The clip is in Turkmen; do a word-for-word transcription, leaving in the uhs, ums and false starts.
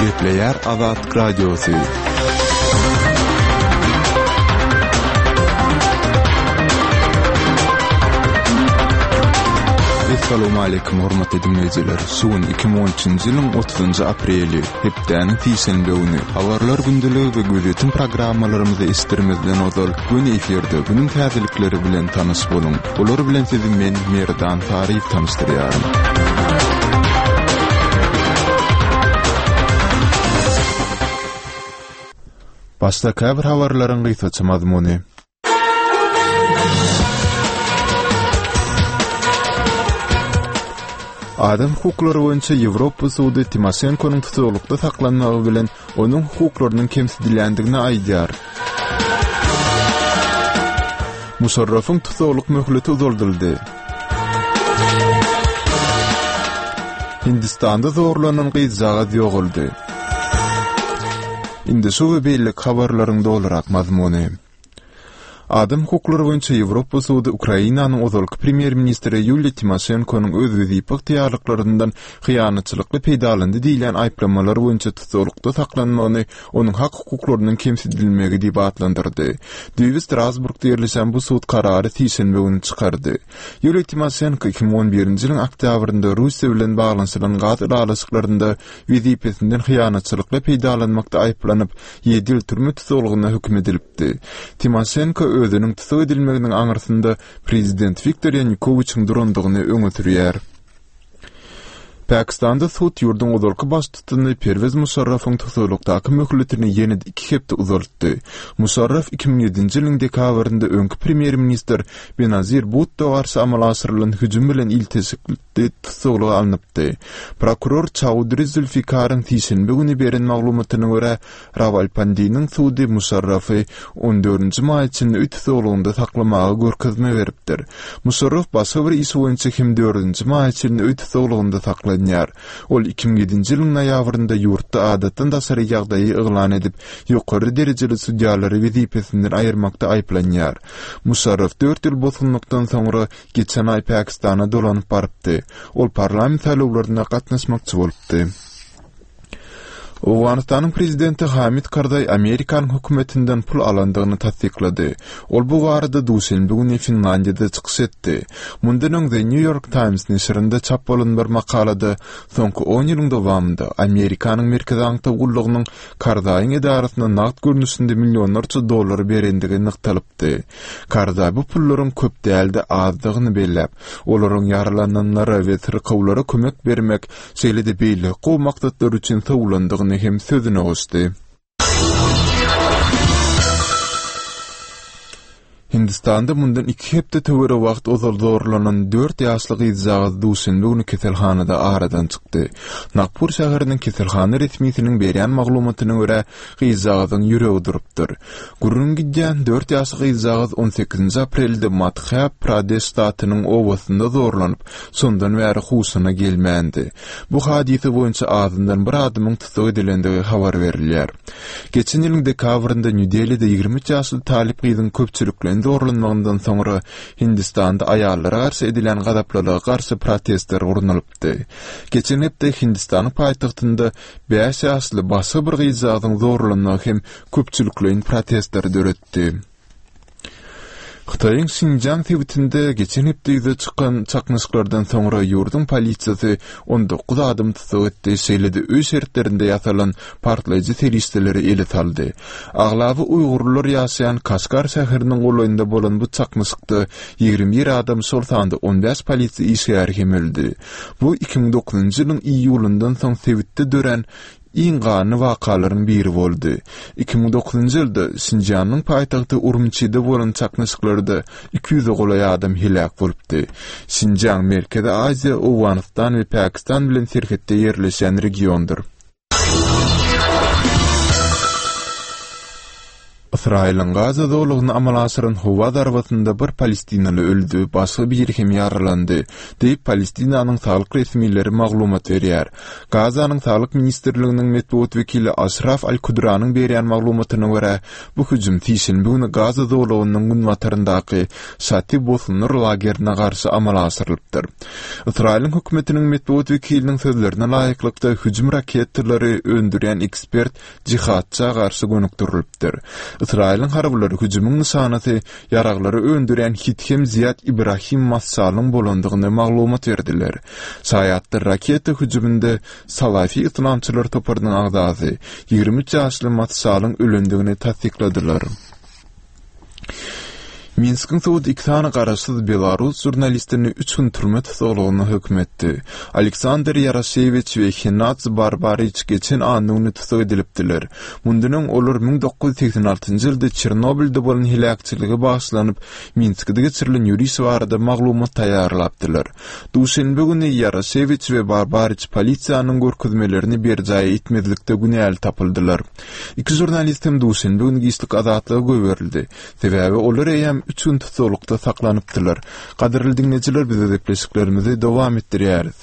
Gepleýär Azatlyk Radiosy. Assalamualeykum hormatly dinleýjiler. Şu gün iki müň on üçünji ýylyň otuzynjy apreli, hepdäniň sişenbe güni. Habarlar gündeligi we gözýetim programmalarymyzy eşitdirmezden ozal, göni efirde günüň täzelikleri bilen tanyş boluň. Olar bilen sizi men Merdan Saryýew tanyşdyrýaryn. Başda käbir habarlaryň gysgaça mazmuny. Adam hukuklary boýunça Ýewropa sudy Timoşenkonyň tutuklykda saklanmagy bilen onuň hukuklarynyň kemsidilýändigini aýdýar. Muşarrafyň tussaglyk möhleti uzaldyldy. Hindistanda zorlanan gyzjagaz ýogaldy. Indi şu we beýleki habarlaryň dolurak mazmuny. Adam hukuklary boýunça Ýewropa sudy Ukrainanyň ozalky premýer-ministri Ýuliýa Timoşenkonyň öz wezipe ygtyýarlyklaryndan hyýanatçylykly peýdalandy diýilýän aýyplamalar boýunça tussaglykda saklanmagyny onuň hak-hukuklarynyň kemsidilmegi diýip atlandyrdy. Düýbi Strasburgda ýerleşen bu sud karary sişenbe güni çykardy. Ýuliýa Timoşenko iki müň on birinji ýylyň oktýabrynda Russiýa bilen baglanyşylan gaz ylalaşyklarynda wezipesinden hyýanatçylykly peýdalanmakda aýyplanyp, ýedi ýyl türme tussaglygyna höküm edilipdi. Timoşenko özüniň tussag edilmeginiň aňyrsynda prezident Wiktor Ýanukowiçiň durandygyny öňe sürýär. Pakistanda sud ýurduň ozalky baştutany Perwez Muşarrafyň tussaglykdaky möhletini ýene-de iki hepde uzaltdy. Muşarraf iki müň ýedinji ýylyň dekabrynda öňki premýer-ministr Benazir Bhutto garşy amala aşyrylan hüjüm bilen ilteşikli tussaglyga alnypdy. Prokuror Çaudri Zülfikaryň sişenbe güni beren maglumatyna görä, Rawalpindiniň sudy Muşarrafy on dördünji maýa çenli öý tussaglygynda saklamaga görkezme beripdir. Muşarraf başga bir iş boýunça hem dördünji maýa çenli öý tussaglygynda saklanýar. Ol iki müň ýedinji ýylyň noýabrynda ýurtda adatdan daşary ýagdaýy yglan edip, ýokary derejeli sudýalary wezipesinden aýyrmakda aýyplanýar. Muşarraf dört ýyl bosgunlykdan soňra geçen aý Pakistana dolanyp barypdy. Ol parlament saýlawlaryna gatnaşmakçy bolupdy. Owganystanyň prezidenti Hamid Karzaý Amerikanyň hökümetinden pul alandygyny tassyklady. Ol bu barada duşenbe güni Finlandiýada çykyş etdi. Mundan öň The New York Times neşirinde çap bolan bir makalada soňky on ýylyň dowamynda Amerikanyň Merkezi aňtaw gullugynyň Karzaýyň edarasyna nagt görnüşinde millionlarça dollar berendigi nygtalypdy. Karzaý bu pullaryň köp däl-de azdygyny belläp, olaryň ýaralananlara we syrkawlara kömek bermek, şeýle-de beýleki gowy maksatlar üçin sowulandygyny hem sözüne goşdy. Hindistanda mundan iki hepde töweregi wagt ozal zorlanan dört ýaşly gyzjagaz duşenbe güni keselhanada aradan çykdy. Nagpur şäheriniň keselhana resmisiniň berýän maglumatyna görä, gyzjagazyň ýüregi durupdyr. Gürrüň gidýän dört ýaşly gyzjagaz on sekizinji aprelde Madhya Pradeş ştatynyň obasynda zorlanyp, şondan bäri huşuna gelmändi. Bu hadysa boýunça azyndan bir adamyň tussag edilendigi habar berilýär. Geçen ýylyň dekabrynda Nýu-Delide ýigrimi üç ýaşly talyp gyzyň köpçülikleýin zorlanmagyndan soňra Hindistanda aýallara garşy edilýän gazaplylyga garşy protestler gurnalypdy. Geçen hepde Hindistanyň paýtagtynda bäş ýaşly başga bir gyzjagazyň zorlanmagy hem köpçülikleýin protestleri döretdi. Hytaýyň Şinjiang sebitinde geçen hepde ýüze çykan çaknyşyklardan soňra ýurduň polisiýasy on dokuz adamy tussag etdi, şeýle-de öý şertlerinde ýasalan partlaýjy serişdeleri ele saldy. Aglaba uýgurlar ýaşaýan Kaşgar şäheriniň golaýynda bolan bu çaknyşykda ýigrimi bir adam, şol sanda on bäş polisiýa işgäri hem öldi. Bu iki müň dokuzynjy ýylyň iýulyndan soň sebitde dörän iň ganly wakalaryň biri boldy. Iki müň dokuzynjy ýylda Şinjianyň paýtagty Urumçide bolan çaknyşyklarda iki ýüze golaý adam heläk bolupdy. Şinjiang Merkezi Aziýa, Owganystan we Pakistan bilen serhetde ýerleşýän regiondyr. Ysraýylyň Gaza zolagyna amala aşyran howa zarbasynda bir palestinaly öldi, başga biri hem ýaralandy, diýip, Palestinanyň saglyk resmileri maglumat berýär. Gazanyň Saglyk ministrliginiň metbugat wekili Aşraf Al-Kudranyň berýän maglumatyna görä, bu hüjüm sişenbe güni Gaza zolagynyň günbataryndaky Şati bosgunlar lagerine garşy amala aşyrylypdyr. Ysraýylyň hökümetiniň metbugat wekiliniň sözlerine laýyklykda, hüjüm raketalary öndürýän ekspert jihadça garşy gönükdirilipdir. Ysraýylyň harbylary hüjümiň nyşanasy ýaraglary öndürýän Hithem Ziýad Ibrahim Massalyň bolandygyny maglumat berdiler. Şaýatlar raketa hüjüminde Salafi yslamçylar toparynyň agzasy, ýigrimi üç ýaşly Massalyň ölendigini tassykladylar. Minskiň sudy iki sany garaşsyz belarus žurnalistini üç gün türme tussaglygyna höküm etdi. Aleksandr Ýaroşewiç we Henadz Barbariç geçen anna güni tussag edilipdiler. Mundan öň olar müň dokuz ýüz segsen altynjy ýylda Çernobylda bolan heläkçilige bagyşlanyp Minskide geçirilen ýöriş barada maglumat taýýarlapdylar. Duşenbe güni Ýaroşewiç we Barbariç polisiýanyň görkezmelerini berjaý etmezlikde günäli tapyldylar. Iki žurnalist hem duşenbe güni giçlik azatlyga goýberildi. Sebäbi olar eýýäm üç gün tussaglykda saklanypdylar. Gadyrly diňleýjiler biz gepleşiklerimizi dowam etdirýäris.